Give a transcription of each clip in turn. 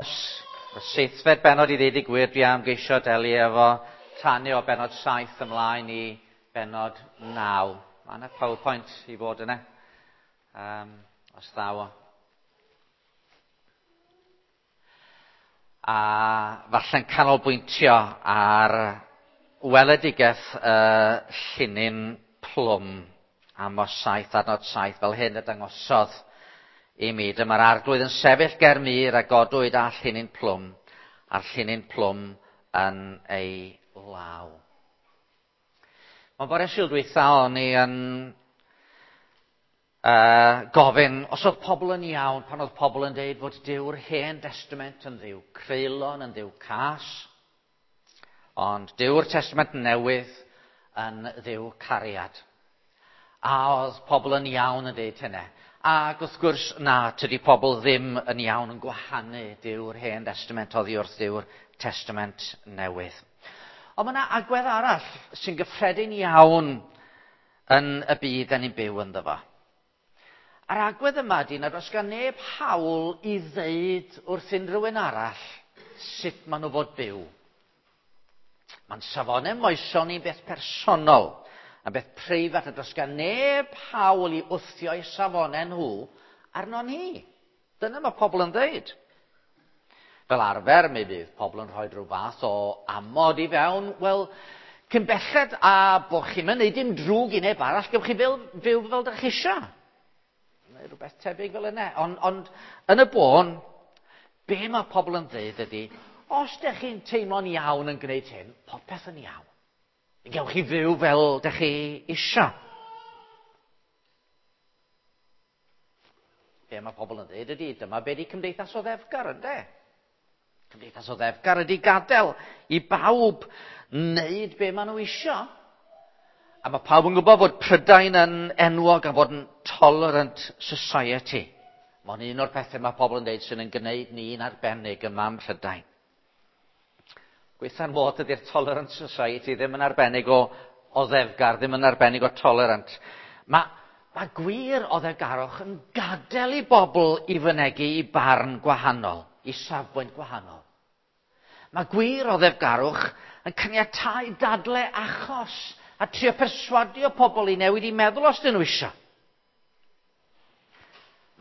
Amos, y seithfed bennod i ddeud y gwir, dwi am geisio delu efo tanu o bennod 7 ymlaen i bennod 9. Mae yna PowerPoint i fod yna, os ddaw o. A falle'n canolbwyntio ar weledigaeth y llinyn plwm, Amos 7 adnod 7, fel hyn y dangosodd i mi. Dyma'r arglwydd yn sefyll ger mur a godwyd â llinyn plwm, a'r llinyn plwm yn ei law. Mae'n bore Sul dwytha o'n i yn gofyn os oedd pobl yn iawn pan oedd pobl yn deud fod Duw'r Hen Destament yn ddiw creulon, yn ddiw cas, ond Duw'r Testament Newydd yn ddiw cariad. A oedd pobl yn iawn yn deud hynny. Ac wrth gwrs, na, tydi pobl ddim yn iawn yn gwahanu Duw'r Hen Destament oddi wrth Duw'r Testament Newydd. Ond mae yna agwedd arall sy'n gyffredin iawn yn y byd da ni'n byw ynddo fo. A'r agwedd yma ydy nad oes gan neb hawl i ddeud wrth unrhyw un arall sut maen nhw fod byw. Mae'n safonau moesol ni'n beth personol, yn beth preifat, a does gan neb hawl i wthio eu safonau nhw arno ni. Dyna mae pobl yn dweud. Fel arfer, mi fydd pobl yn rhoi rhyw fath o amod i fewn. Wel, cyn belled a bod chi'n mynd neud dim drwg i neb arall, gewch chi fyw, fyw fel dych chi eisiau. Neu rhywbeth tebyg fel yna. Ond, ond yn y bôn, be mae pobl yn dweud ydy, os dych chi'n teimlo'n iawn yn gwneud hyn, popeth yn iawn. Gewch chi fyw fel dych chi eisiau. Be mae pobl yn dweud ydy, dyma be di cymdeithas oddefgar, ynde? Cymdeithas oddefgar ydy gadael i bawb wneud be maen nhw eisiau. A mae pawb yn gwybod fod Prydain yn enwog am fod yn tolerant society. Mae'n un o'r pethau mae pobl yn dweud sy'n yn gwneud ni'n arbennig yma ym Mhrydain. Gweitha'r modd ydy'r Tolerant Society ddim yn arbennig o oddefgar, ddim yn arbennig o tolerant. Mae, mae gwir oddefgarwch yn gadael i bobl i fynegi i barn gwahanol, i safbwynt gwahanol. Mae gwir oddefgarwch yn caniatáu dadle achos a trio perswadio pobl i newid i meddwl os dyn nhw eisiau.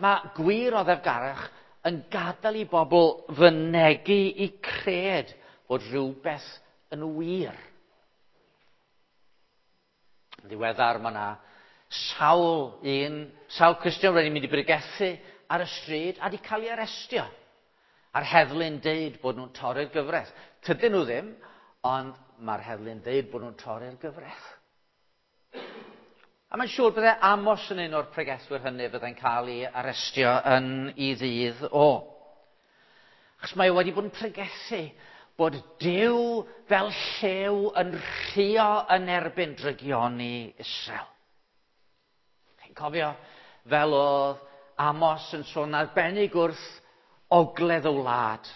Mae gwir oddefgarwch yn gadael i bobl fynegi i cred fod rhywbeth yn wir. Yn ddiweddar mae yna sawl un, sawl Cristion wedi mynd i bregethu ar y stryd a wedi cael ei arestio. A'r heddlu'n deud bod nhw'n torri'r gyfraith. Tydyn nhw ddim, ond mae'r heddlu'n deud bod nhw'n torri'r gyfraith. A mae'n siŵr bydde Amos yn un o'r pregethwyr hynny fyddai'n cael ei arestio yn ei ddydd o. Achos mae o wedi bod yn pregethu bod Duw fel llew yn rhuo yn erbyn drygioni Israel. Chi'n cofio fel oedd Amos yn sôn arbennig wrth ogledd y wlad,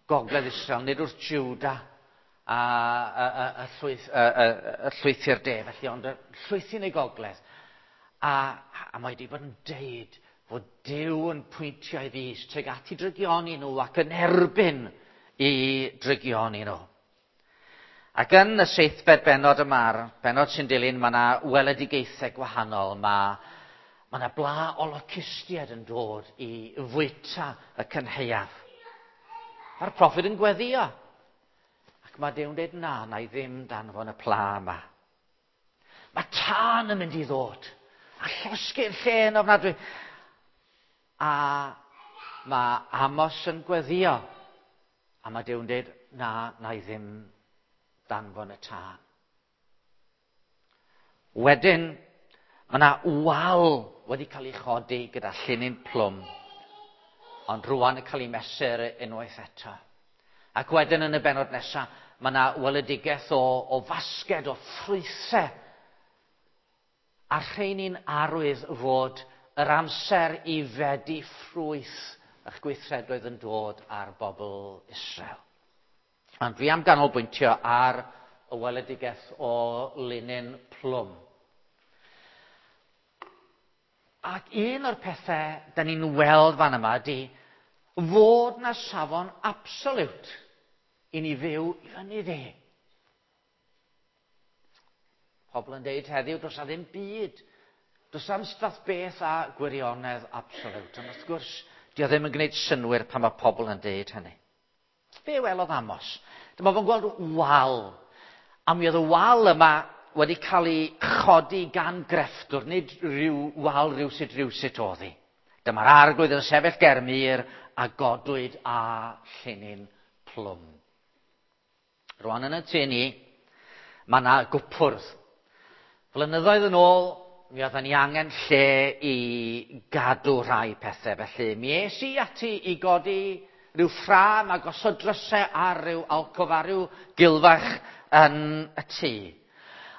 gogledd Israel, nid wrth Juda a, a, a, a, llwyth, a, a, a llwythi'r de, felly, ond y llwythi yn ei gogledd. A, a mae wedi bod yn deud fod Duw yn pwyntio ei fys tuag at i drygioni nhw ac yn erbyn i drygioni nhw. Ac yn y seithfed bennod yma'r bennod sy'n dilyn, mae yna weledigaethau gwahanol. Mae, mae yna bla o locustiaid yn dod i fwyta y cynhaeaf. Mae'r proffwyd yn gweddio. Ac mae Duw'n dweud, na, na i ddim danfon y pla yma. Mae tân yn mynd i ddod. A llosgi'r lle yn ofnadwy. A mae Amos yn gweddio. A mae Duw'n dweud, na, na i ddim danfon y tân. Wedyn, mae yna wal wedi cael ei chodi gyda llinyn plwm, ond rwan yn cael ei mesur unwaith eto. Ac wedyn yn y bennod nesaf, mae yna weledigaeth o, o fasged o ffrwythau. A rheini'n arwydd fod yr amser i fedi ffrwyth eich gweithredoedd yn dod ar bobl Israel. Ond fi am ganolbwyntio ar y weledigaeth o linyn plwm. Ac un o'r pethau da ni'n weld fan yma ydy, fod na safon absoliwt i ni fyw i fyny ddi. Pobl yn deud heddiw, does na ddim byd, does na'm fath beth a gwirionedd absoliwt. Ond wrth gwrs, di o ddim yn gwneud synnwyr pan mae pobl yn deud hynny. Be welodd Amos? Dyma fo'n gweld wal. A mi oedd y wal yma wedi cael ei chodi gan grefftwr, nid rhyw wal rhywsut rhywsut oedd hi. Dyma'r arglwydd yn sefyll ger mur a godwyd â llinyn plwm. Rwan yn y tŷ ni, mae yna gwpwrdd. Flynyddoedd yn ôl, mi oedden ni angen lle i gadw rhai pethau. Felly, mi es i ati i godi rhyw ffrâm a gosod drysau ar ryw alcof a rhyw gilfach yn y tŷ.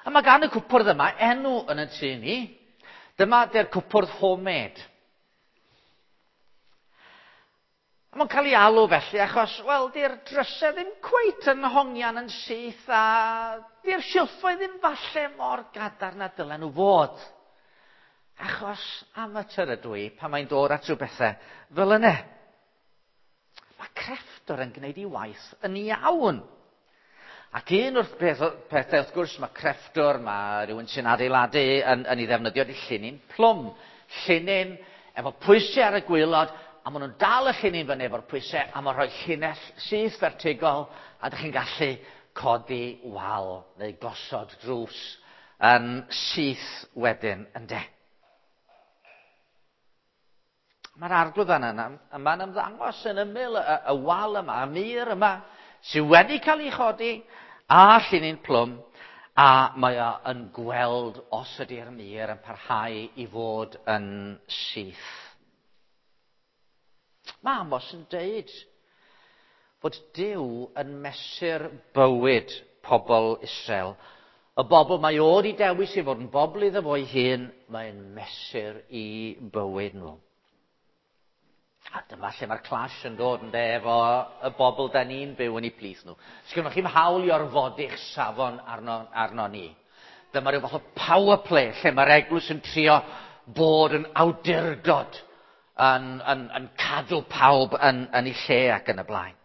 A mae gan y cwpwrdd yma enw yn y tŷ ni. Dyma 'di'r cwpwrdd homemade. A mae'n cael ei alw felly achos, wel, di'r drysau ddim cweit yn hongian yn syth a di'r silffoedd ddim falle mor gadarn a dylen nhw fod. Achos amateur ydw i pan mae'n dod at rhyw bethau fel yna. Mae crefftwr yn gwneud ei waith yn iawn. Ac un o'r peth, pethau, wrth gwrs, mae crefftwr, mae rhywun sy'n adeiladu yn, yn ei ddefnyddio di llinyn plwm. Llinyn efo pwysau ar y gwaelod, a maen nhw'n dal y llinyn fyny efo'r pwysau, a mae'n rhoi llinell syth fertigol, a ydych chi'n gallu codi wal neu gosod drws yn syth wedyn, ynde. Mae'r arglwydd yna yma'n ymddangos yn ymyl y, y wal yma, y mur yma, sydd wedi cael ei chodi a llinyn plwm, a mae o yn gweld os ydy'r mur yn parhau i fod yn syth. Mae Amos yn deud fod Duw yn mesur bywyd pobl Israel. Y bobl mae o wedi dewis i fod yn bobl iddo fo'i hun, mae'n mesur i bywyd nhw. A dyma lle mae'r clash yn dod yn de efo y bobl da ni'n byw yn eu plith nhw. Sgynnoch chi'm hawl i orfodi'ch safon arno, arno ni. Dyma rhyw fath o power play lle mae'r eglwys yn trio bod yn awdurdod yn, yn, yn cadw pawb yn, yn ei lle ac yn y blaen.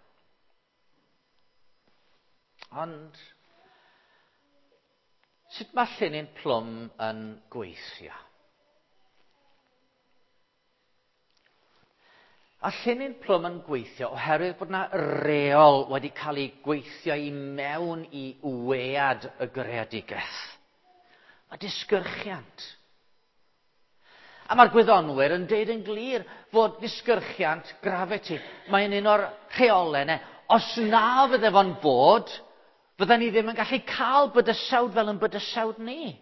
Ond, sut mae llinyn plwm yn gweithio? A llinyn plwm yn gweithio oherwydd bod yna reol wedi cael ei gweithio i mewn i wead y greadigaeth. Mae disgyrchiant. A mae'r gwyddonwyr yn deud yn glir fod disgyrchiant gravity, mae'n un o'r rheolau yna. Os na fydde fo'n bod, fydden ni ddim yn gallu cael bydysawd fel yn bydysawd ni.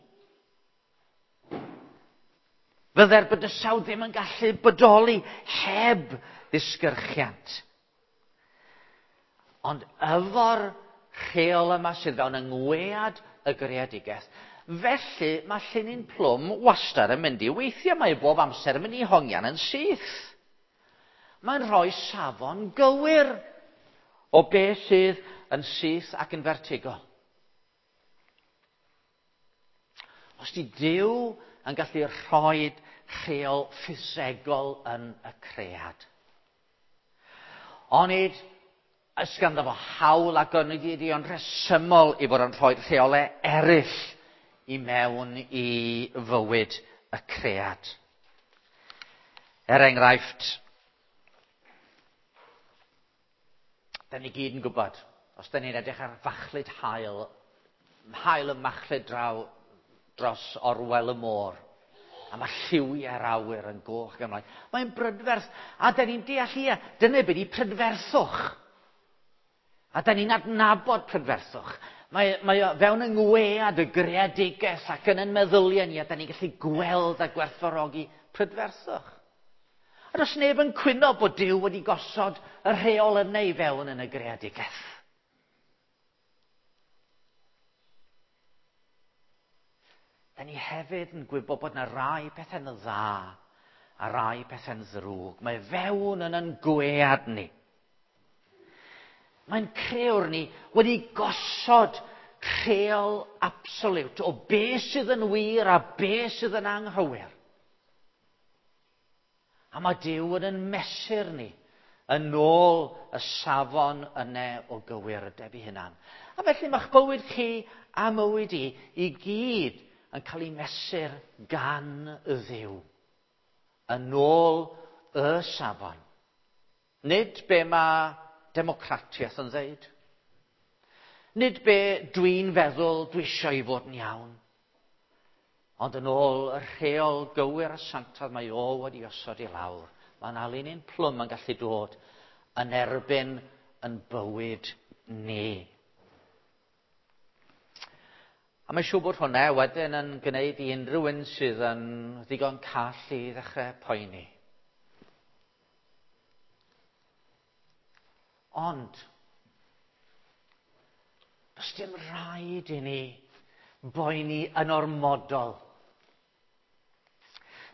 Fydde'r bydysawd ddim yn gallu bodoli heb ddisgyrchiant. Ond efo'r rheol yma sydd fewn yng ngwead y greadigaeth, felly mae llinyn plwm wastad yn mynd i weithio. Mae bob amser yn mynd i hongian yn syth. Mae'n rhoi safon gywir o beth sydd yn syth ac yn fertigol. Os di Duw yn gallu rhoi rheol ffisegol yn y cread. Onid oes ganddo fo hawl ac onid ydi o'n rhesymol i fod yn rhoi rheolau eraill i mewn i fywyd y cread. Er enghraifft, da ni gyd yn gwybod, os da ni'n edrych ar fachlud haul, haul yn machlud draw dros orwel y môr, a mae lliwiau'r awyr yn goch ac ymlaen. Mae'n brydferth, a da ni'n deall ia, dyna beth i prydferthwch. A da ni'n adnabod prydferthwch. Mae, mae o fewn yng ngwead y greadigaeth ac yn yn meddyliau ni, a da ni'n gallu gweld a gwerthfawrogi prydferthwch. A does neb yn cwyno bod Duw wedi gosod y rheol yna i fewn yn y greadigaeth. Da ni hefyd yn gwybod bod yna rai pethau'n dda a rai pethau'n ddrwg. Mae fewn yn yn gwead ni. Mae'n crewr ni wedi gosod rheol absoliwt o be sydd yn wir a be sydd yn anghywir. A mae Duw yn yn mesur ni Yn ôl y safon yne o gywirdeb ei hunan. A felly mae'ch bywyd chi a mywyd i i gyd yn cael ei mesur gan y Dduw. Yn ôl y safon. Nid be mae democratiaeth yn ddeud. Nid be dwi'n feddwl dwi eisiau i fod yn iawn. Ond yn ôl y rheol gywir a sanctaidd mae o wedi osod i lawr. Mae'n alun plwm yn gallu dod yn erbyn yn bywyd ni. A mae'n siŵr bod hwnna wedyn yn gwneud i unrhyw un sydd yn ddigon call i ddechrau poeni. Ond, does dim rhaid i ni boeni yn ormodol.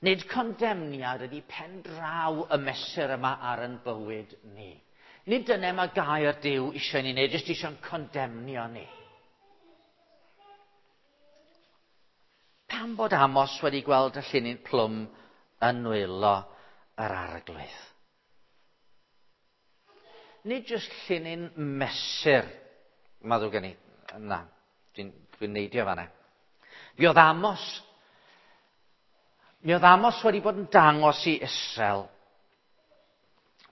Nid condemniad ydy pen draw y mesur yma ar yn bywyd ni. Nid dyna mae gair Duw eisiau ni wneud, jyst eisiau'n condemnio ni. Pam bod Amos wedi gweld y llinyn plwm yn nwylo yr arglwydd? Nid jyst llinyn mesur, mae ddrwg gen i, na, dwi'n dwi neidio fanna. Mi oedd Amos, mi oedd Amos wedi bod yn dangos i Israel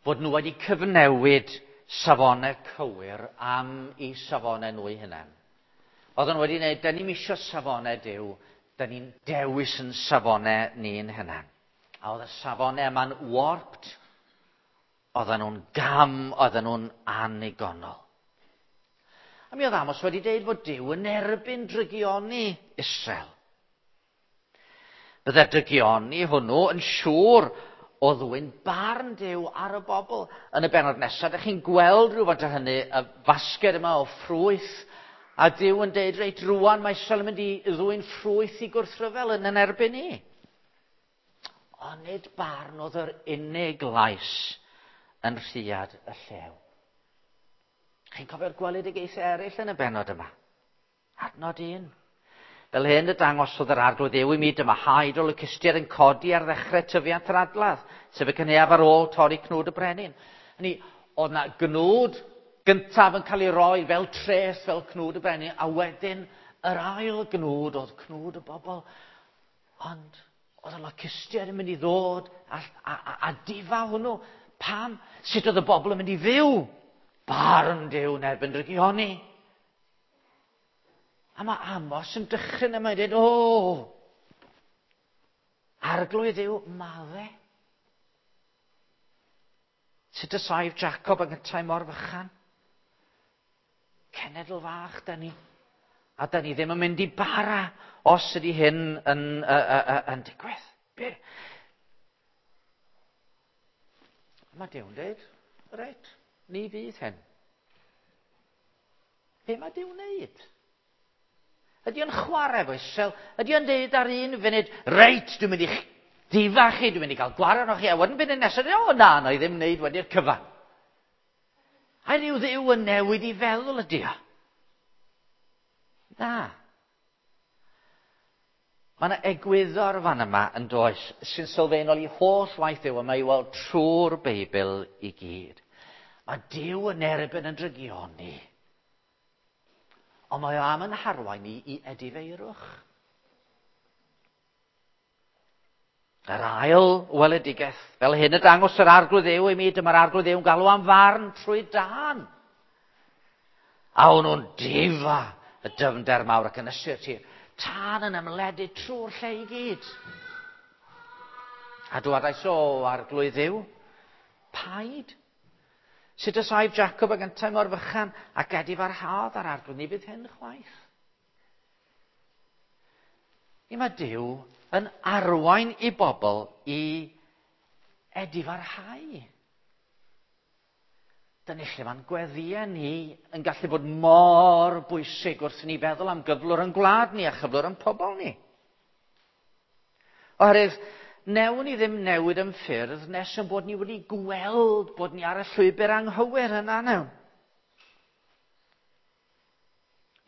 bod nhw wedi cyfnewid safonau cywir am i safonau nhw eu hunain. Oedden nhw wedi gwneud, da ni'n isio safonau Duw, da ni'n dewis yn safonau ni'n hunain. A oedd y safonau yma'n warped, oedden nhw'n gam, oedden nhw'n anigonol. A mi oedd Amos wedi deud fod Duw yn erbyn drygioni Israel. Bydde'r drygioni hwnnw yn siŵr o ddwyn barn Duw ar y bobl. Yn y bennod nesaf, ydych chi'n gweld rhywfaint o hynny, y fasged yma o ffrwyth, a Duw yn deud, reit, rwan mae Israel yn mynd i ddwyn ffrwyth i gwrthryfel yn yn erbyn ni. Ond nid barn oedd yr unig lais yn rhiad y llew. Chi'n cofio'r gweledigaethau eraill yn y bennod yma? Adnod 1. Fel hyn y dangosodd yr arglwydd Dduw i mi, dyma haid o locustiaid yn codi ar ddechrau tyfiant yr adladd, sef y cynhaeaf ar ôl torri cnwd y brenin. Hynny, oedd na gnwd gyntaf yn cael ei roi fel treth, fel cnwd y brenin, a wedyn yr ail gnwd oedd cnwd y bobl. Ond oedd y locustiaid yn mynd i ddod a, a, a, a difa hwnnw. Pam? Sut oedd y bobl yn mynd i fyw? Barn Duw yn erbyn drygioni. A mae Amos yn dychryn yma yn dweud, o, arglwydd yw madde. Sut y saif Jacob yn gyntau mor fychan? Cenedl fach da ni. A da ni ddim yn mynd i bara os ydy hyn yn, yn digwydd. Be? Mae Duw'n dweud, reit, ni fydd hyn. Be mae Duw'n wneud? Ydy o'n chwarae efo Israel? Ydy o'n deud ar un funud, reit, dwi'n mynd i'ch difa chi, dwi'n mynd i gael gwared arnoch chi, a wedyn funud nesaf, o na, na i ddim wneud wedi'r cyfan. A rhyw Dduw yn newid i feddwl ydy o? Na. Mae yna egwyddor fan yma yn does sy'n sylfaenol i holl waith Duw, a mae i weld trwy'r Beibl i gyd. Mae Duw yn erbyn yn drygioni. Ond mae o am yn harwain ni i edifeirwch. Yr ail weledigaeth, fel hyn y dangos yr arglwydd Dduw i mi, dyma'r arglwydd Dduw yn galw am farn trwy dân. A o'n nhw'n difa y dyfnder mawr ac yn ysu'r tir. Tân yn ymledu trwy'r lle i gyd. A dywedais, o arglwydd Dduw, paid. Sut y saif Jacob ag yntau mor fychan ac edifarhaodd ar arglwydd, ni fydd hyn chwaith. I mae Duw yn arwain i bobl i edifarhau. Dyna lle mae'n gweddïau ni yn gallu bod mor bwysig wrth i ni feddwl am gyflwr yn gwlad ni a chyflwr yn pobl ni. Oherwydd, newn ni ddim newid yn ffyrdd nes yn bod ni wedi gweld bod ni ar y llwybr anghywir yna newn.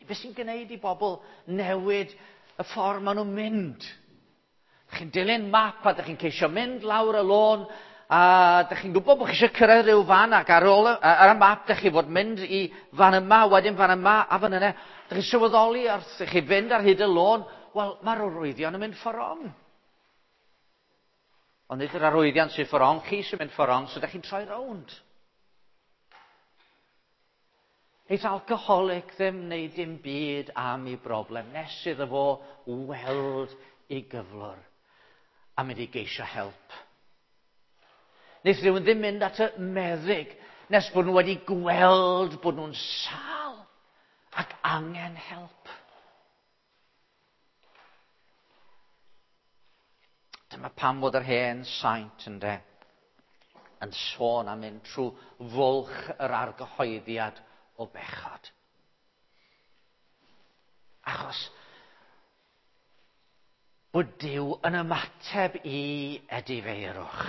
Be sy'n gwneud i bobl newid y ffordd maen nhw'n mynd? Chi'n dilyn map a ydych chi'n ceisio mynd lawr y lôn A dych chi'n gwybod bod chi eisiau cyrraedd rhyw fan ac ar ôl ar y map dych chi fod mynd i fan yma, wedyn fan yma a fan yna. Dych chi'n sylweddoli wrth i chi fynd ar hyd y lôn, wel, mae'r arwyddion yn mynd ffordd rong. Ond nid yr arwyddion sy'n ffordd rong, chi sy'n mynd ffordd rong, so dych chi'n troi rownd. Neith alcoholic ddim wneud dim byd am ei broblem nes iddo fo weld ei gyflwr a mynd i geisio help. Neith rhywun ddim mynd at y meddyg nes bod nhw wedi gweld bod nhw'n sâl ac angen help. Dyma pam fod yr hen saint ynde yn sôn am mynd trwy fwlch yr argyhoeddiad o bechod. Achos bod Duw yn ymateb i edifeirwch.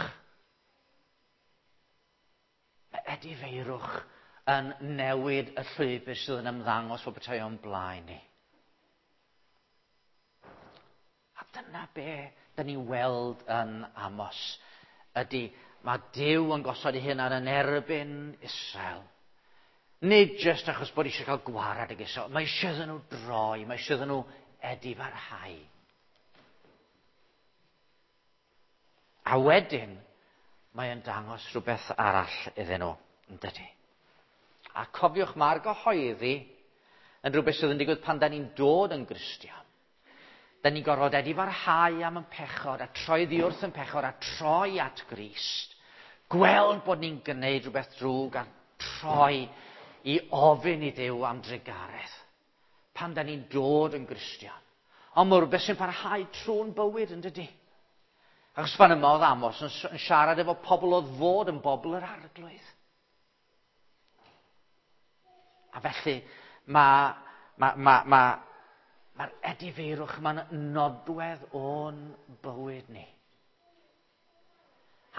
Mae edifeirwch yn newid y llwybr sydd yn ymddangos fel petai o'n blaen ni. A dyna be da ni'n weld yn Amos, ydy mae Duw yn gosod ei hunan yn erbyn Israel. Nid jyst achos bod eisiau cael gwarad ag Israel, mae eisiau iddyn nhw droi, mae eisiau iddyn nhw edifarhau. A wedyn, mae yn dangos rhywbeth arall iddyn nhw, yn dydy. A cofiwch, mae'r gyhoeddi yn rhywbeth sydd yn digwydd pan da ni'n dod yn Gristion. Da ni'n gorfod edifarhau am yn pechod a troi ddi wrth yn pechod a troi at Grist. Gweld bod ni'n gwneud rhywbeth drwg a troi i ofyn i Dduw am drugaredd. Pan da ni'n dod yn Gristion. Ond mae rhywbeth sy'n parhau trwy'n bywyd yn dydy. Achos fan yma oedd Amos yn siarad efo pobl oedd fod yn bobl yr arglwydd. A felly mae'r ma, ma, ma, mae'r edifeirwch yma'n nodwedd o'n bywyd ni.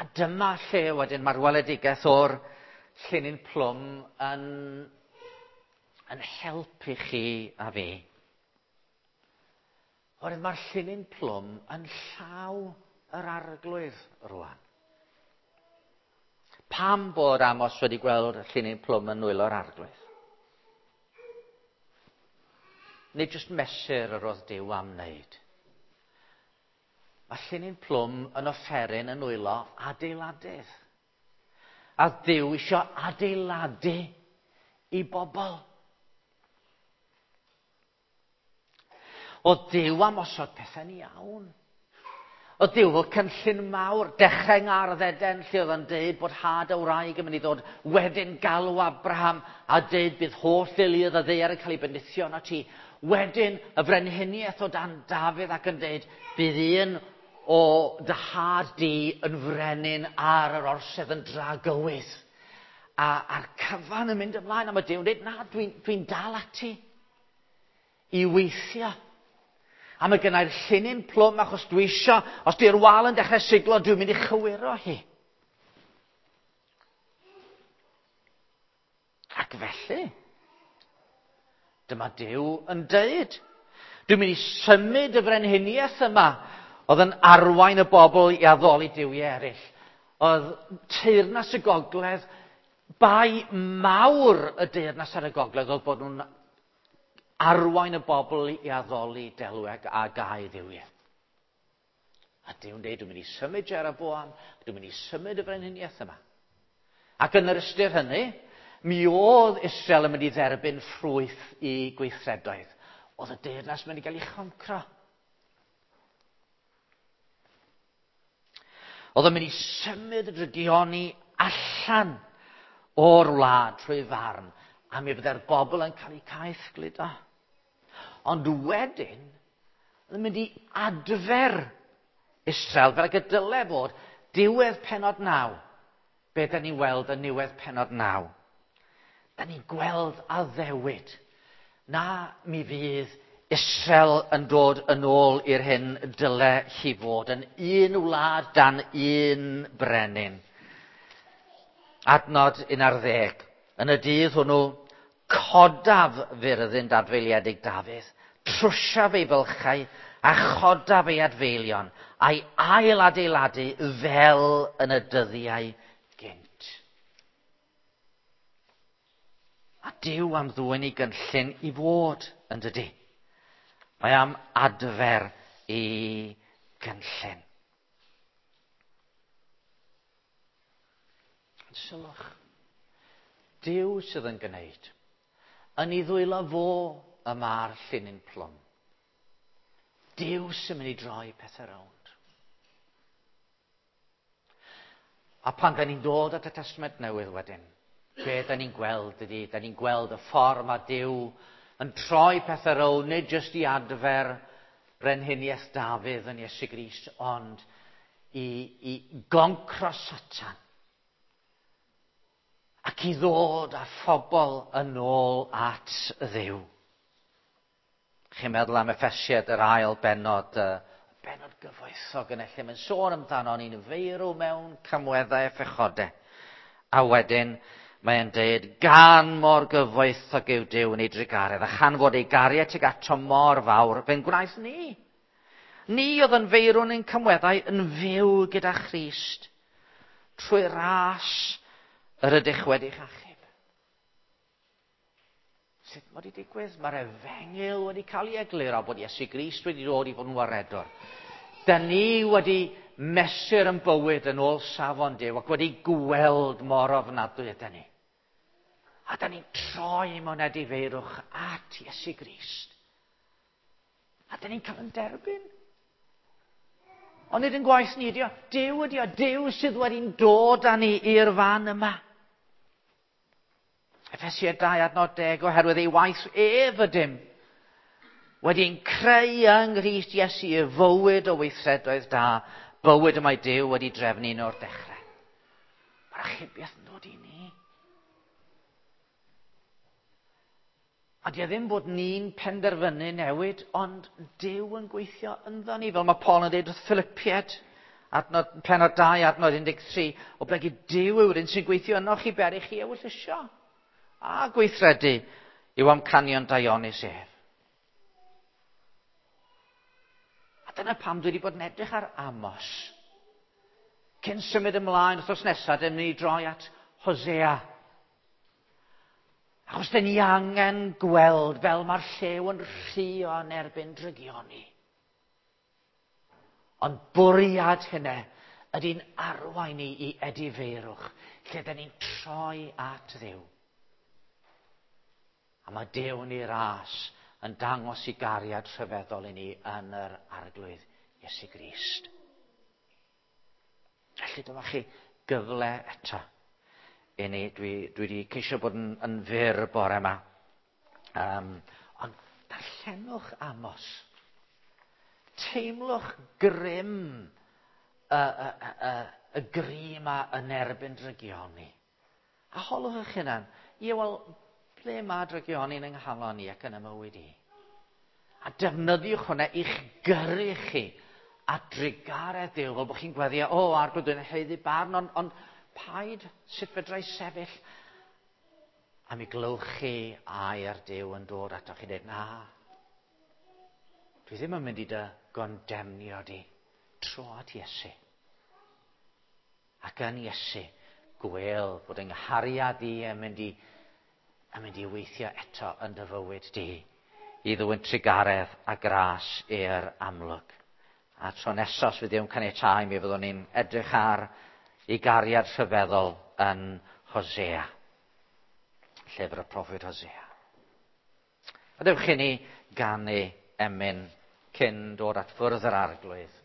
A dyma lle wedyn mae'r weledigaeth o'r llinyn plwm yn, yn helpu chi a fi. Oherwydd mae'r llinyn plwm yn llaw yr arglwydd rwan. Pam bod Amos wedi gweld y llinyn plwm yn nwylo'r arglwydd? Nid jyst mesur yr oedd Duw am wneud. Mae llinyn plwm yn offeryn yn nwylo adeiladydd. A Duw isio adeiladu i bobl. Oedd Duw am osod pethau'n iawn. Oedd Duw fel cynllun mawr, dechrau yng Ngardd Eden, lle oedd o'n deud bod had y wraig yn mynd i ddod, wedyn galw Abraham a deud bydd holl deuluoedd y ddaear yn cael ei bendithio arno ti. Wedyn y frenhiniaeth o dan Dafydd ac yn deud bydd un o dy had di yn frenin ar yr orsedd yn dragywydd. A, a'r cyfan yn mynd ymlaen, a mae Duw'n dweud, na, dwi'n dwi dal ati i weithio. A mae gennai'r llinyn plwm achos dwi isio, os di'r wal yn dechrau siglo, dwi'n mynd i chywiro hi. Ac felly, dyma Duw yn deud, dwi'n mynd i symud y frenhiniaeth yma oedd yn arwain y bobl i addoli duwiau eraill. Oedd teyrnas y gogledd, bai mawr y deyrnas ar y gogledd oedd bod nhw'n arwain y bobl i addoli delweg a gau dduwiau. A Duw'n dweud, dwi'n mynd i symud Jeroboam, dwi'n mynd i symud y frenhiniaeth yma. Ac yn yr ystyr hynny, mi oedd Israel yn mynd i dderbyn ffrwyth i gweithredoedd. Oedd y deyrnas mynd i gael ei choncro. Oedd yn mynd i symud y drygioni allan o'r wlad trwy farn, a mi fydde'r bobl yn cael eu caethgludo. Ond wedyn, oedd yn mynd i adfer Israel fel ag y dyle fod diwedd pennod 9. Be da ni'n weld yn niwedd pennod 9? Da ni'n gweld addewid na mi fydd Israel yn dod yn ôl i'r hyn dyle hi fod yn un wlad dan un brenin. Adnod 11. Yn y dydd hwnnw, codaf fyrddin dadfeiliedig Dafydd, trwsiaf ei fylchau A chodaf ei adfeilion a'i ailadeiladu fel yn y dyddiau gynt. A Duw am ddwyn ei gynllun i fod yn dydy. Mae am adfer ei gynllun. Sylwch, Duw sydd yn gwneud. Yn ei ddwylo fo y mae'r llinyn plwm. Duw sy'n mynd i droi pethau rownd. A pan da ni'n dod at y Testament Newydd wedyn, be da ni'n gweld ydy, da ni'n gweld y ffordd mae Duw yn troi pethau rownd, nid jyst i adfer brenhiniaeth Dafydd yn Iesu Grist, ond i goncro Satan ac i ddod â phobl yn ôl at Dduw. Chi'n meddwl am Effesiad yr ail bennod, y bennod gyfoethog yn lle mae'n sôn amdano ni'n feirw mewn camweddau a phechodau. A wedyn mae'n deud, gan mor gyfoethog yw Duw yn ei drugaredd, a chan fod ei gariad tuag ato mor fawr, fe'n gwnaeth ni. Ni oedd yn feirw yn ein camweddau yn fyw gyda Christ trwy ras yr ydych wedi'ch achub. Sut mae wedi digwydd? Mae'r efengyl wedi cael ei egluro bod Iesu Grist wedi dod i fod yn waredwr. Da ni wedi mesur yn bywyd yn ôl safon Duw ac wedi gweld mor ofnadwy ydyn ni. A da ni'n troi mewn edifeirwch at Iesu Grist. A da ni'n cael yn derbyn. Ond nid yn gwaith ni ydi o. Duw ydi o. Duw sydd wedi'n dod â ni i'r fan yma. Effesiaid 2 adnod 10, oherwydd ei waith ef ydym wedi'n creu yng Nghrist Iesu y fywyd o weithredoedd da, bywyd y mae Duw wedi drefnu un o'r dechrau. Mae'r achubiaeth yn dod i ni. A di e ddim bod ni'n penderfynu newid, ond Duw yn gweithio ynddo ni. Fel mae Paul yn dweud wrth Philippiaid, adnod, pennod 2, adnod 13, o blegid Duw yw'r un sy'n gweithio yno chi ber i chi ewyllysio a gweithredu i'w amcanion daionus ef. A dyna pam dwi wedi bod yn edrych ar Amos. Cyn symud ymlaen wythnos nesaf, dyn ni droi at Hosea. Achos dyn ni angen gweld fel mae'r llew yn rhuo yn erbyn drygioni. Ond bwriad hynny ydy'n arwain ni i edifeirwch, lle dyn ni'n troi at Dduw. A mae Duw yn ei ras yn dangos i gariad rhyfeddol i ni yn yr Arglwydd Iesu Grist. Felly dyma chi gyfle eto i ni. Dwi wedi ceisio bod yn fyr bore yma. Ond darllenwch Amos. Teimlwch grym y gri yma yn erbyn drygioni. A holwch eich hunan, ie wel, ble mae drygioni yn nghalon i ac yn y mywyd i? A defnyddiwch hwnna i'ch gyrru chi a drugaredd Duw, fel bod chi'n gweddio, o, Arglwydd, dwi'n haeddu barn, ond paid sut fedra i sefyll. A mi glywch chi air Duw yn dod ato chi dweud, na, dwi ddim yn mynd i dy gondemnio di, tro at Iesu. Ac yn Iesu, gwel bod yng nghariad i yn mynd i weithio eto yn dy fywyd di, i ddwyn trugaredd a gras i'r amlwg. A tro nesaf, os fydd Duw'n caniatáu, mi fyddwn ni'n edrych ar ei gariad rhyfeddol yn Hosea. Llyfr y proffwyd Hosea. A dewch i ni ganu emyn cyn dod at fwrdd yr Arglwydd.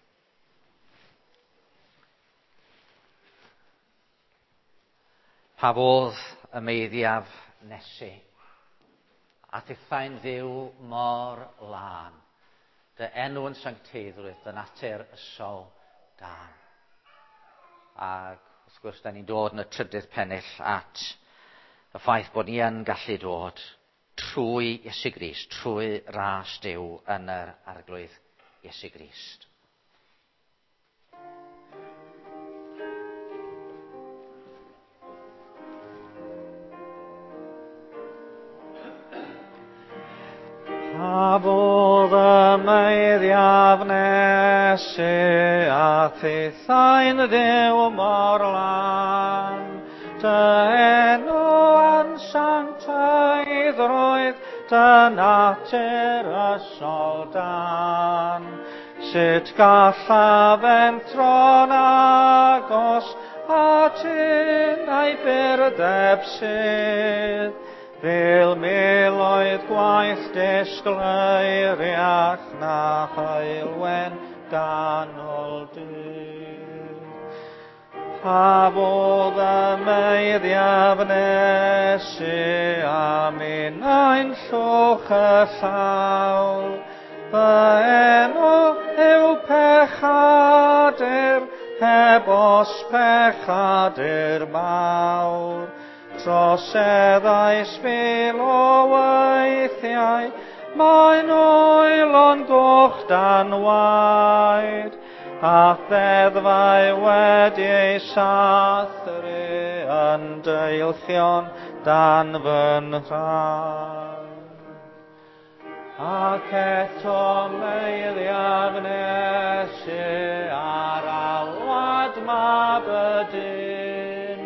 Pa fodd y meiddiaf nesu, a thithau'n Dduw mor lân, dy enw yn sancteiddrwydd, dy natur ysol dan. Ac wrth gwrs, da ni'n dod yn y trydydd pennill at y ffaith bod ni yn gallu dod trwy Iesu Grist, trwy ras Duw yn yr Arglwydd Iesu Grist. Pa fodd y meiddiaf Meiddiaf nesu a thithau'n Dduw mor lân. Dy enw ansantaiddrwydd, dy natur ysol dan. Sut gallaf entro'n agos at un a'i burdeb sydd, fel miloedd gwaith disgleiriach na heulwen ganol dydd. Pa fodd y meiddiaf nesu a minnau'n llwch y llaw, fy enw yw pechadur, heb os pechadur mawr. Troseddais fil o weithiau, mae'n oelon goch dan waed, a ddeddfau wedi ei sathru yn deilchion dan fy nhraed. Ac eto meiddiaf nesu ar alwad mab y dyn,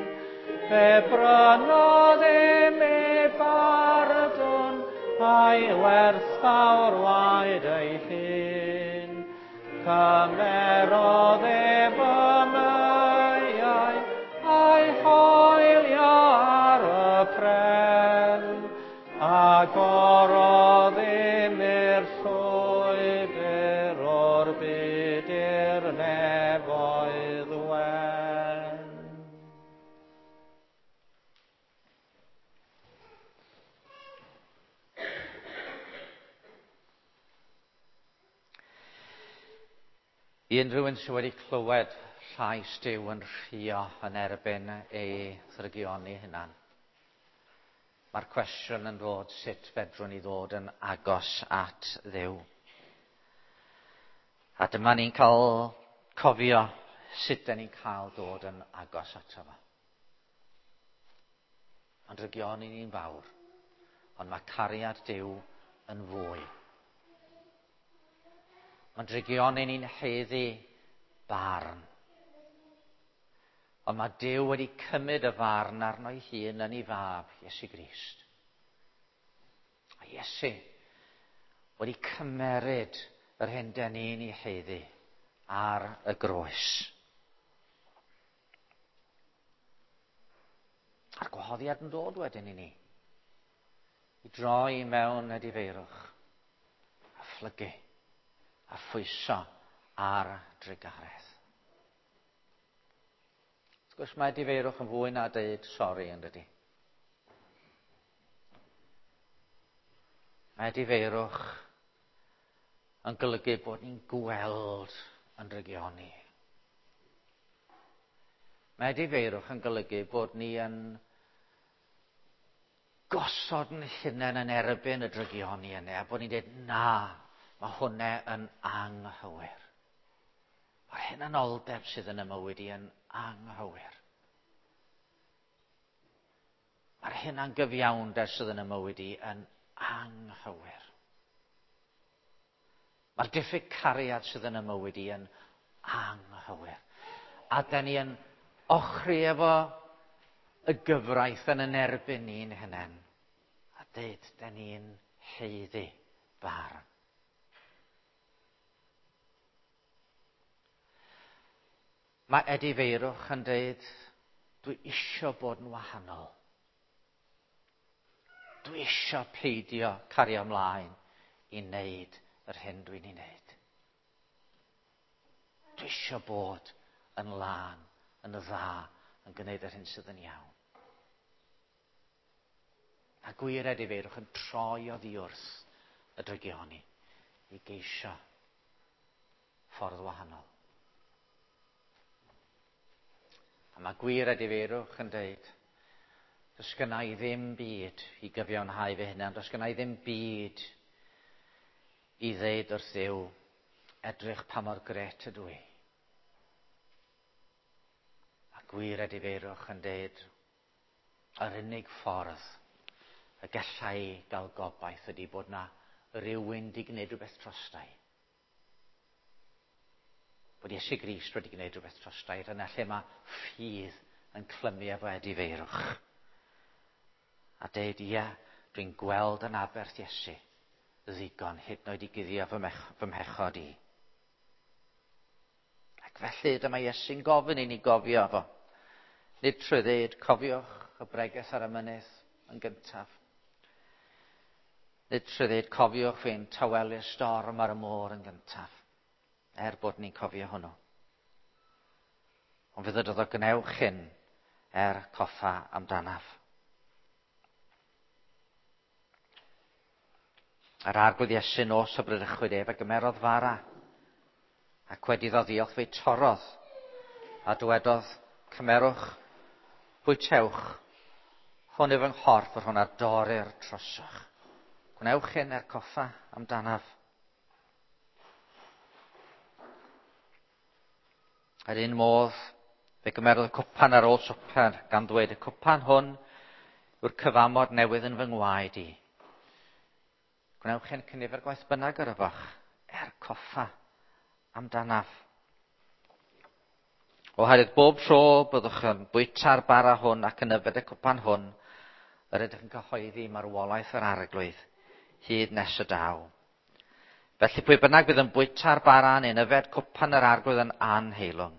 fe brynodd i mi bardwn a'i werthfawr waed ei hun. Cymerodd ef y meiau a'i hoelio ar y pren, agorodd i mi'r llwybr o'r byd i'r nefoedd wen. I unrhyw un sydd wedi clywed llais Duw yn rhuo yn erbyn ei ddrygioni hunan, mae'r cwestiwn yn dod sut fedrwn ni ddod yn agos at Dduw. A dyma ni'n cael cofio sut dan ni'n cael dod yn agos ato fo. Mae'n drygioni ni'n fawr, ond mae cariad Duw yn fwy. Mae'n drygioni ni'n haeddu barn. Ond mae Duw wedi cymryd y farn arno'i hun yn ei fab, Iesu Grist. A Iesu wedi cymeryd yr hyn dan ni'n ei haeddu ar y groes. A'r gwahoddiad yn dod wedyn i ni, i droi mewn edifeirwch, a phlygu, a phwyso ar drugaredd. Wrth gwrs mae edifeirwch yn fwy na deud sori, yn dydi? Mae edifeirwch yn golygu bod ni'n gweld yn drygioni. Mae edifeirwch yn golygu bod ni yn gosod yn hunain yn erbyn y drygioni yna, a bod ni'n dweud, na, mae hwnna yn anghywir. Mae'r hunanoldeb sydd yn y mywyd i yn anghywir. Mae'r hunangyfiawnder sydd yn y mywyd i yn anghywir. Mae'r diffyg cariad sydd yn y mywyd i yn anghywir. A da ni yn ochri efo y gyfraith yn yn erbyn ni'n hunain. A deud, da ni'n haeddu barn. Mae edifeirwch yn deud, dwi isio bod yn wahanol. Dwi isio peidio cario ymlaen i wneud yr hyn dwi'n ei wneud. Dwi isio bod yn lân, yn dda, yn gwneud yr hyn sydd yn iawn. A gwir edifeirwch yn troi oddi wrth y drygioni i geisio ffordd wahanol. A mae gwir edifeirwch yn deud, does gynna i ddim byd i gyfiawnhau fy hunan, does gynna i ddim byd i ddeud wrth Dduw, edrych pa mor gret ydw i. A gwir edifeirwch yn deud, yr unig ffordd y gallai gael gobaith ydy bod na rywun di gwneud rhywbeth drostai. Bod Iesu Grist wedi gwneud rhywbeth drosta i. Dyna lle mae ffydd yn clymu efo edifeirwch. A deud, ia, dwi'n gweld yn aberth Iesu ddigon hyd yn oed i guddio fy mhechod i. Ac felly dyma Iesu'n gofyn i ni gofio fo. Nid trwy ddeud, cofiwch y bregeth ar y mynydd yn gyntaf. Nid trwy ddeud, cofiwch fi'n tawelu'r storm ar y môr yn gyntaf. Er bod ni'n cofio hwnnw. Ond fe ddydodd o, gwnewch hyn er coffa amdanaf. Yr Arglwydd Iesu nos y bradychwyd ef a gymerodd fara, ac wedi iddo ddiolch fe'i torrodd, a dywedodd, cymerwch, bwytewch, hwn yw fy nghorff yr hwn a dorrir trosoch. Gwnewch hyn er coffa amdanaf. Yr un modd, fe gymerodd y cwpan ar ôl swper, gan ddweud, y cwpan hwn yw'r cyfamod newydd yn fy ngwaed i. Gwnewch hyn cynifer gwaith bynnag yr yfach, er coffa amdanaf. Oherwydd bob tro byddwch yn bwyta'r bara hwn ac yn yfed y cwpan hwn, yr ydych yn cyhoeddi marwolaeth yr Arglwydd, hyd nes y daw. Felly pwy bynnag bydd yn bwyta'r bara neu'n yfed cwpan yr Arglwydd yn anheilwng,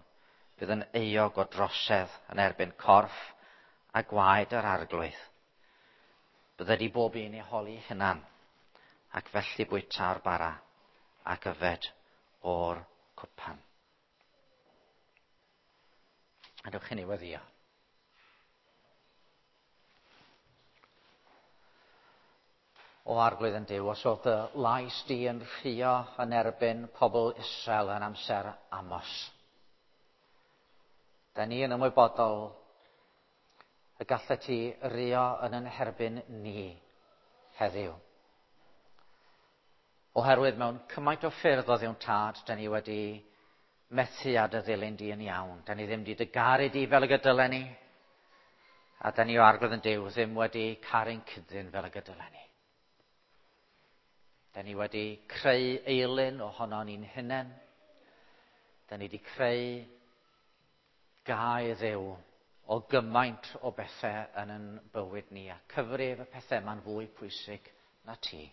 bydd yn euog o drosedd yn erbyn corff a gwaed yr Arglwydd. Bydded i bob un ei holi hunan, ac felly bwyta'r bara ac yfed o'r cwpan. A dewch i ni weddio. O Arglwydd yn Duw, os oedd dy lais di yn rhuo yn erbyn pobl Israel yn amser Amos, da ni yn ymwybodol y gallet ti ruo yn yn herbyn ni heddiw. Oherwydd mewn cymaint o ffyrdd o Dduw'n Tad, da ni wedi methu â dy ddilyn di yn iawn. Da ni ddim wedi dy garu di fel y gydylen ni, a da ni o Arglwydd yn Duw ddim wedi caru'n cyddyn fel y gydylen ni. Da ni wedi creu eilun ohono ni'n hunain. Da ni wedi creu gau Dduw o gymaint o bethau yn ein bywyd ni, a cyfrif y pethau yma'n fwy pwysig na ti.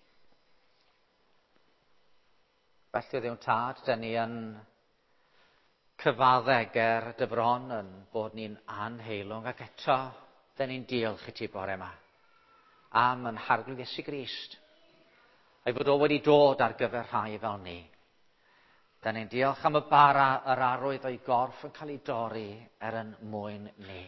Felly, Dduw'n Tad, da ni yn cyfadde ger dy fron yn bod ni'n anheilwng, ac eto, da ni'n diolch i ti bore yma am yn Harglwydd Iesu Grist, a'i fod o wedi dod ar gyfer rhai fel ni. Da ni'n diolch am y bara yr arwydd o'i gorff yn cael ei dorri er yn mwyn ni.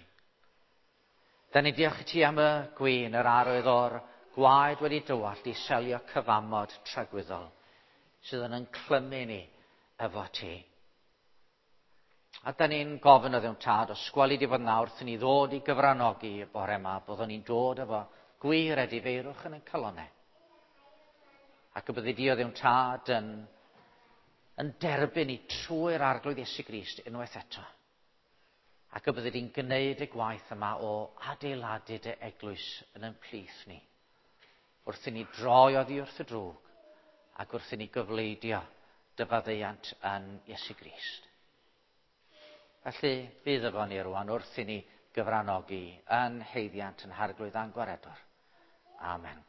Da ni'n diolch i ti am y gwin, yr arwydd o'r gwaed wedi dywallt i selio cyfamod tragwyddol sydd yn clymu ni efo ti. A da ni'n gofyn o Dduw'n Tad, os gweli di fod nawr wrth i ni ddod i gyfranogi y bore yma, byddwn ni'n dod efo gwir edifeirwch yn ein calonnau. Ac y byddi di o Dduw'n Tad yn derbyn ni trwy'r Arglwydd Iesu Grist unwaith eto. Ac y byddi di'n gwneud y gwaith yma o adeiladu dy eglwys yn ein plith ni. Wrth i ni droi oddi wrth y drwg ac wrth i ni gyfleidio dy faddeuant yn Iesu Grist. Felly, bydd efo ni rwan wrth i ni gyfranogi yn haeddiant yn Harglwydd a'n Gwaredwr. Amen.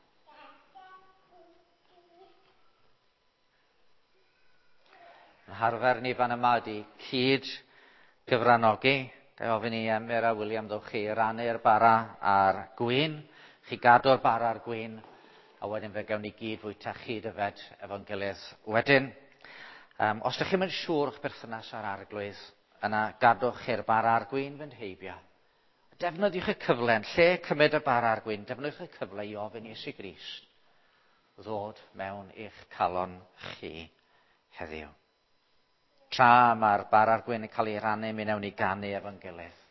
Yn harfer ni fan yma ydi cyd gyfranogi. Ga i ofyn i Emyr a William ddowch chi rannu'r bara a'r gwin. Chi gadw'r bara a'r gwin, a wedyn fe gawn ni gyd fwyta chyd yfed efo'n gilydd wedyn. Os ydych chi'm yn siŵr o'ch berthynas â'r Arglwydd, yna gadwch chi'r bara a'r gwin fynd heibio. Defnyddiwch y cyfle, yn lle cymryd y bara a'r gwin, defnyddiwch y cyfle i ofyn Iesu Grist ddod mewn i'ch calon chi heddiw. Tra mae'r bara a'r gwin yn cael ei rannu, mi wnawn ni ganu efo'n gilydd.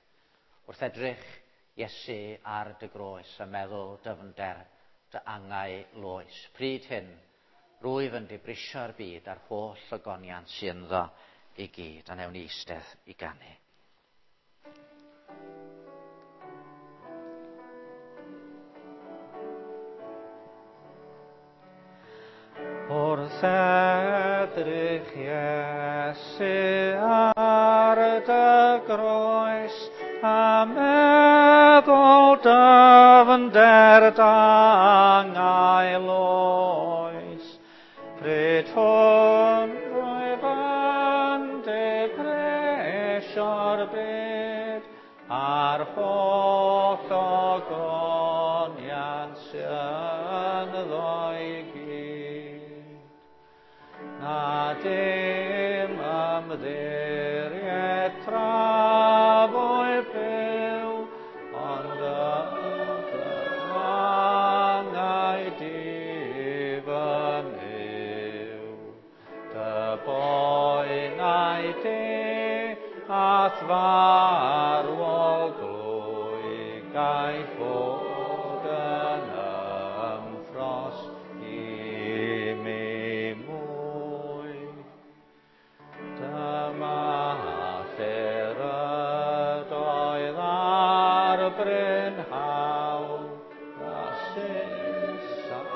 Wrth edrych Iesu ar dy groes a meddwl dyfnder dy angau loes. Pryd hyn, rwyf yn dibrisio'r byd a'r holl ogoniant sydd ynddo i gyd, a wnawn ni eistedd i ganu. Wrth Wrth edrych Iesu ar dy groes, a meddwl dyfnder d'angau oes, pryd hwn rwyf yn dibreisio'r byd, a'r holl ogoniant sy'n ynddo i gyd. Na dim ymddiried tra fwy byw, ond angau di fy Nuw. Dy boenau di a'th farwol glwy gai fod yn ymffrost i mi mwy. Dyma lle'r ydoedd ar brynhawn, a Saeson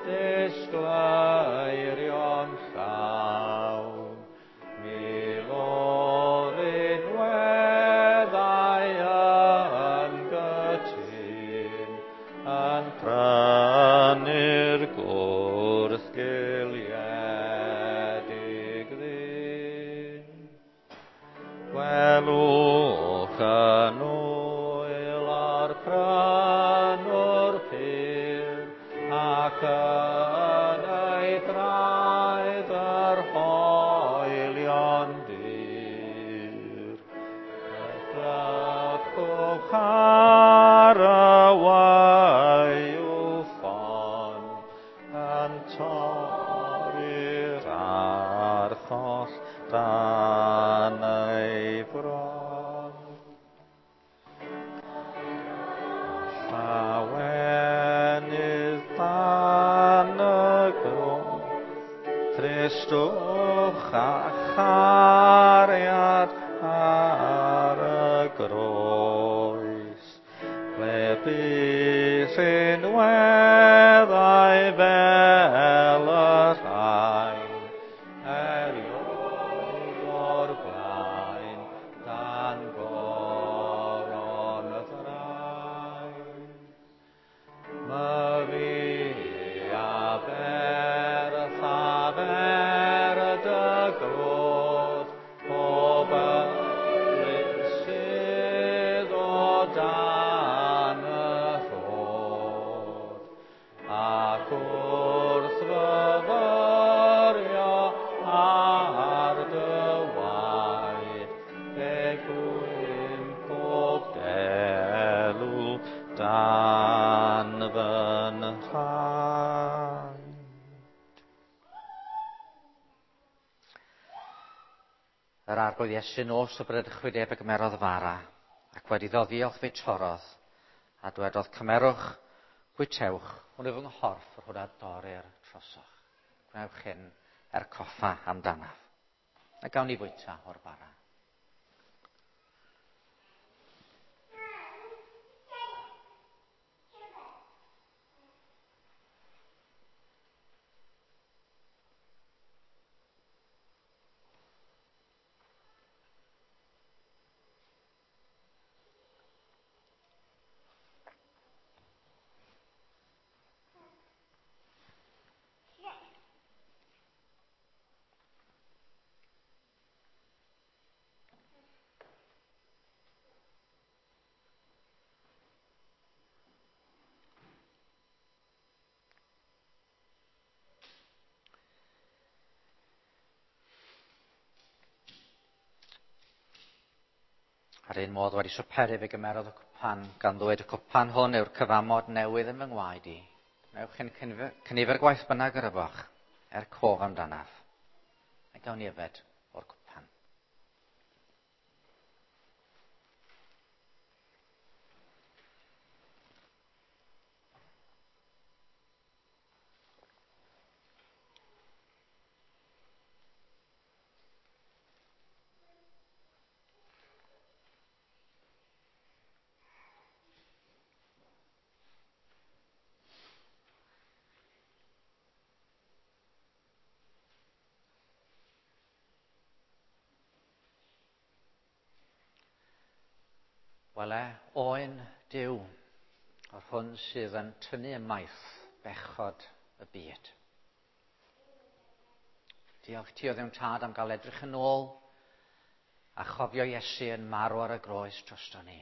disgleirio'n llawn. Mil o rinweddau yn gytûn, yn prynu'r gwrthgiliedig ddyn. Gwelwch yn ŵyl o'r prynwr pur, ac yn ei draed yr hoelion dir. Edrychwch ar y wayw ffon, yn torri'r archoll dan ei bron. Llawenydd dan y groes, tristwch a chariad ar y groes, ble bu rhinweddau fel y rhain, erioed o'r blaen dan goron y ddrain. Myfi aberth aber dy glod, pob ymlyn sydd o dan y rhod, ac wrth fyfyrio ar dy waed, fe gwyn pob delw dan fy nhraed. Yr Arglwydd Iesu nos y bradychwyd ef a gymerodd fara, ac wedi iddo ddiolch fe torrodd, a dwedodd, cymerwch, bwytewch, hwn yw fy nghorff yr hwn a dorrir trosoch. Gwnewch hyn er coffa amdanaf. A gawn ni fwyta o'r bara. Ar un modd wedi swperu fe gymerodd y cwpan, gan ddweud y cwpan hwn yw'r cyfamod newydd yn fy ngwaed i. Gwnewch hyn cynifer gwaith bynnag yr yfoch, er cof amdanaf. A gawn ni yfed o'r cwpan. Wele, oen Duw, yr hwn sydd yn tynnu ymaith bechod y byd. Diolch ti o Dduw Tad am gael edrych yn ôl a chofio Iesu yn marw ar y groes drosto ni.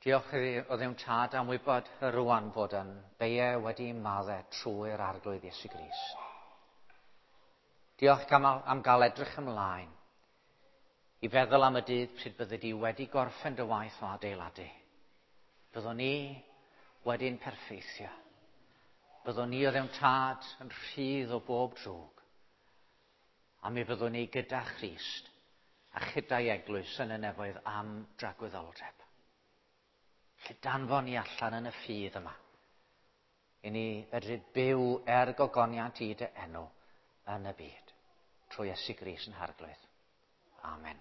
Diolch o Dduw Tad am wybod y rwan fod yn beie wedi maddau trwy'r Arglwydd Iesu Grist. Diolch am gael edrych ymlaen i feddwl am y dydd pryd byddi di wedi gorffen dy waith o adeiladu. Byddwn ni wedi'n perffeithio. Byddwn ni o Dduw Tad yn rhydd o bob drwg. A mi fyddwn ni gyda Christ a chyda'i eglwys yn y nefoedd am dragwyddoldeb. Lle danfon ni allan yn y ffydd yma. I ni fedru byw er gogoniant i dy enw yn y byd. Trwy Iesu Grist yn Harglwydd. Amen.